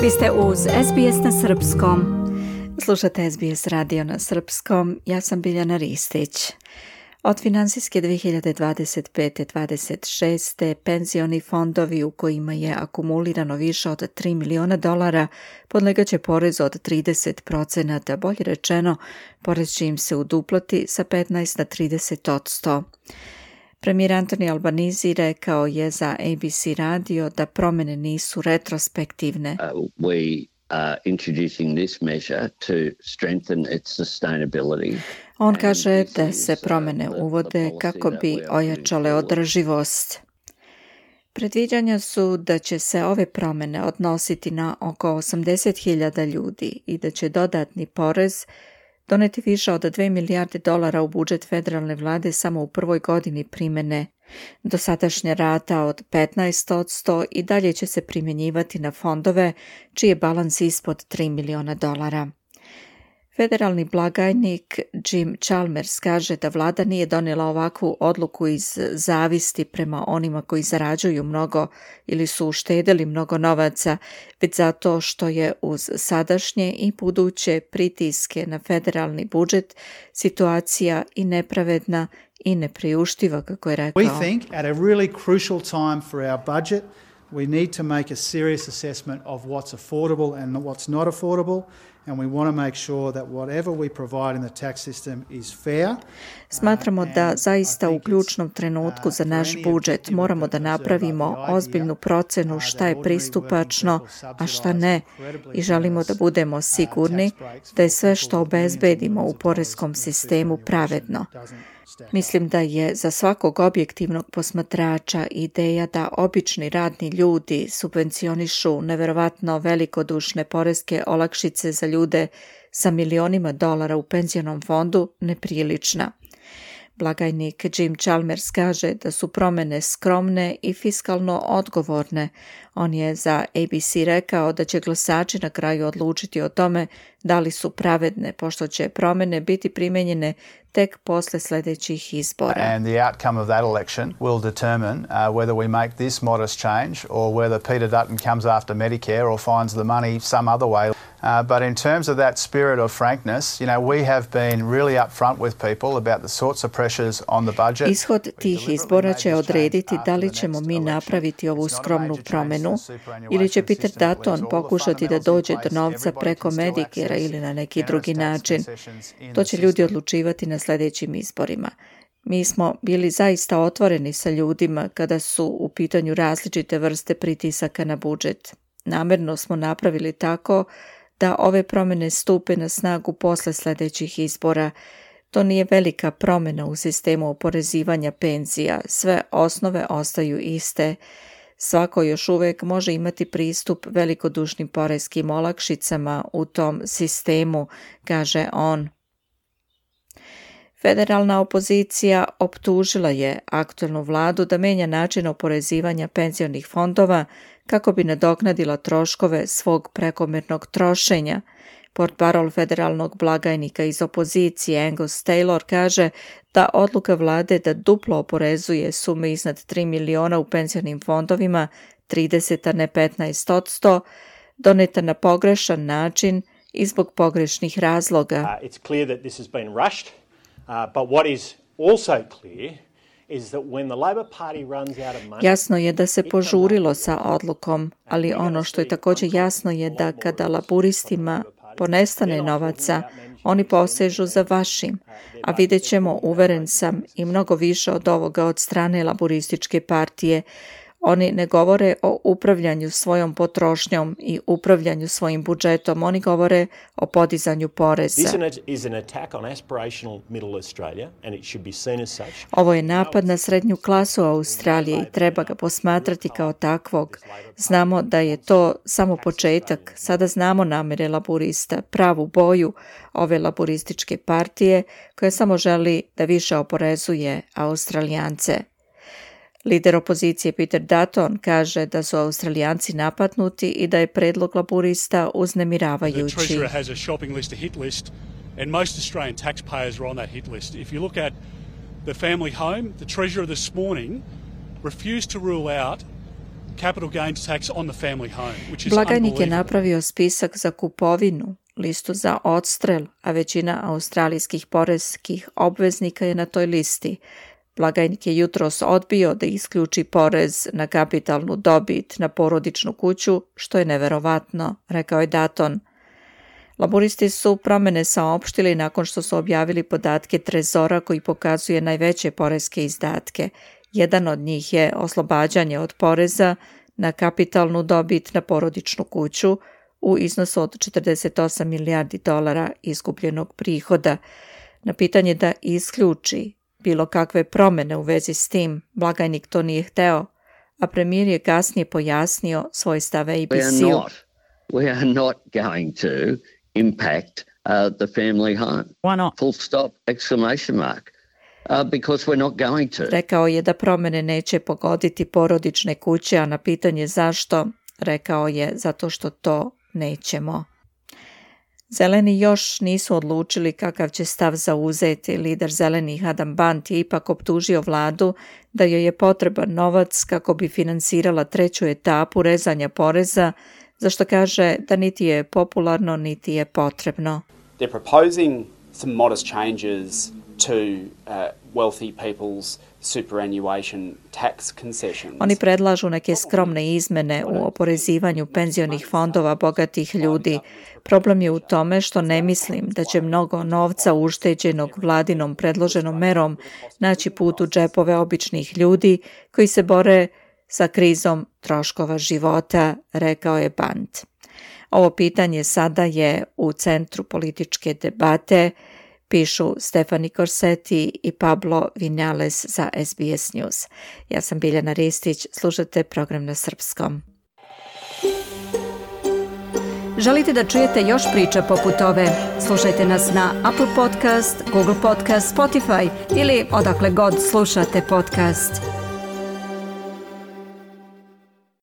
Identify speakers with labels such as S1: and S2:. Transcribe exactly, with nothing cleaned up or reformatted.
S1: Vi ste uz S B S na srpskom. Slušate S B S radio na srpskom. Ja sam Biljana Ristić. Od finansijske dvije hiljade dvadeset pete dvadeset šeste penzioni fondovi u kojima je akumulirano više od tri miliona dolara podlegaće porezu od trideset procenata, bolje rečeno, porez će im se uduplati sa petnaest na trideset posto. Premijer Anthony Albanese rekao je za A B C radio da promjene nisu retrospektivne.
S2: Uh, we are introducing this measure to strengthen its sustainability.
S1: On kaže da se promjene uvode kako bi ojačale održivost. Predviđanja su da će se ove promjene odnositi na oko osamdeset hiljada ljudi i da će dodatni porez doneti više od dve milijarde dolara u budžet federalne vlade samo u prvoj godini primjene. Dosadašnja rata od petnaest posto i dalje će se primjenjivati na fondove čiji je balans ispod tri miliona dolara. Federalni blagajnik Jim Chalmers kaže da vlada nije donijela ovakvu odluku iz zavisti prema onima koji zarađuju mnogo ili su uštedeli mnogo novaca, već zato što je uz sadašnje i buduće pritiske na federalni budžet situacija i nepravedna i nepriuštiva, kako je rekao.
S3: We think at a really crucial time for our budget we need to make a serious assessment of what's affordable and what's not affordable. And we want to make sure that whatever we provide in the tax system is fair.
S1: Smatramo da zaista u ključnom trenutku za naš budžet moramo da napravimo ozbiljnu procenu šta je pristupačno, a šta ne, i želimo da budemo sigurni da je sve što obezbedimo u poreskom sistemu pravedno. Mislim da je za svakog objektivnog posmatrača ideja da obični radni ljudi subvencionišu neverovatno velikodušne poreske olakšice za ljude sa milionima dolara u penzionom fondu neprilična. Blagajnik Jim Chalmers kaže da su promjene skromne i fiskalno odgovorne. On je za A B C rekao da će glasači na kraju odlučiti o tome da li su pravedne, pošto će promjene biti primenjene tek posle sljedećih izbora.
S4: And the outcome of that election will determine uh, whether we make this modest change or whether Peter Dutton comes after Medicare or finds the money some other way. Uh, but in terms of that spirit of frankness, you know, we have been really upfront with people about the sorts of pressures on the budget.
S1: Ishod tih izbora će odrediti da li ćemo mi napraviti ovu skromnu promjenu ili će Peter Dutton pokušati da dođe do novca preko Medicare ili na neki drugi način. To će ljudi odlučivati na sljedećim izborima. Mi smo bili zaista otvoreni sa ljudima kada su u pitanju različite vrste pritisaka na budžet. Namjerno smo napravili tako da ove promjene stupe na snagu posle sljedećih izbora. To nije velika promjena u sistemu oporezivanja penzija, sve osnove ostaju iste. Svako još uvijek može imati pristup velikodušnim poreskim olakšicama u tom sistemu, kaže on. Federalna opozicija optužila je aktualnu vladu da menja način oporezivanja penzionih fondova kako bi nadoknadila troškove svog prekomjernog trošenja. Portparol federalnog blagajnika iz opozicije Angus Taylor kaže da odluka vlade da duplo oporezuje sume iznad tri miliona u penzionim fondovima, trideset a ne petnaest posto, doneta na pogrešan način i zbog pogrešnih razloga.
S5: Uh, it's clear that this has been rushed, uh, but what is also clear is that when the Labor Party runs out of money.
S1: Jasno je da se požurilo sa odlukom, ali ono što je također jasno je da kada laburistima ponestane novaca, oni posežu za vašim, a vidjet ćemo, uveren sam, i mnogo više od ovoga od strane laburističke partije. Oni ne govore o upravljanju svojom potrošnjom i upravljanju svojim budžetom, oni govore o podizanju poreza. Ovo je napad na srednju klasu Australije i treba ga posmatrati kao takvog. Znamo da je to samo početak, sada znamo namjere laburista, pravu boju ove laburističke partije koja samo želi da više oporezuje Australijance. Lider opozicije Peter Dutton kaže da su Australijanci napadnuti i da je predlog laburista uznemiravajući.
S6: The Treasurer has a shopping list, a hit list, and most Australian taxpayers are on that hit list. If you look at the family home, the Treasurer this morning refused to rule out capital gains tax on the family home, which is
S1: Blagajnik je
S6: unbelievable.
S1: napravio spisak za kupovinu, listu za odstrel, a većina australijskih poreskih obveznika je na toj listi. Blagajnik je jutros odbio da isključi porez na kapitalnu dobit na porodičnu kuću, što je neverovatno, rekao je Dutton. Laburisti su promene saopštili nakon što su objavili podatke Trezora koji pokazuje najveće poreske izdatke. Jedan od njih je oslobađanje od poreza na kapitalnu dobit na porodičnu kuću u iznosu od četrdeset osam milijardi dolara izgubljenog prihoda. Na pitanje da isključi bilo kakve promene u vezi s tim, blagajnik to nije hteo, a premijer je kasnije pojasnio svoj stav A B C-u.
S2: We are not, we are not going to impact uh, the family home.
S7: Why not?
S2: Full stop, exclamation mark. Uh, because we're not going to.
S1: Rekao je da promene neće pogoditi porodične kuće, a na pitanje zašto, rekao je zato što to nećemo. Zeleni još nisu odlučili kakav će stav zauzeti. Lider zelenih Adam Bant je ipak optužio vladu da joj je potreban novac kako bi finansirala treću etapu rezanja poreza, za što kaže da niti je popularno, niti je potrebno.
S8: They're proposing some modest changes to uh, wealthy people's superannuation tax concessions.
S1: Oni predlažu neke skromne izmene u oporezivanju penzionih fondova bogatih ljudi. Problem je u tome što ne mislim da će mnogo novca ušteđenog vladinom predloženom merom naći put u džepove običnih ljudi koji se bore sa krizom troškova života, rekao je Bant. Ovo pitanje sada je u centru političke debate, pišu Stefani Corsetti i Pablo Vinales za S B S News. Ja sam Biljana Ristić, slušate program na srpskom. Želite da čujete još priča poput ove? Slušajte nas na Apple Podcast, Google Podcast, Spotify ili odakle god slušate podcast.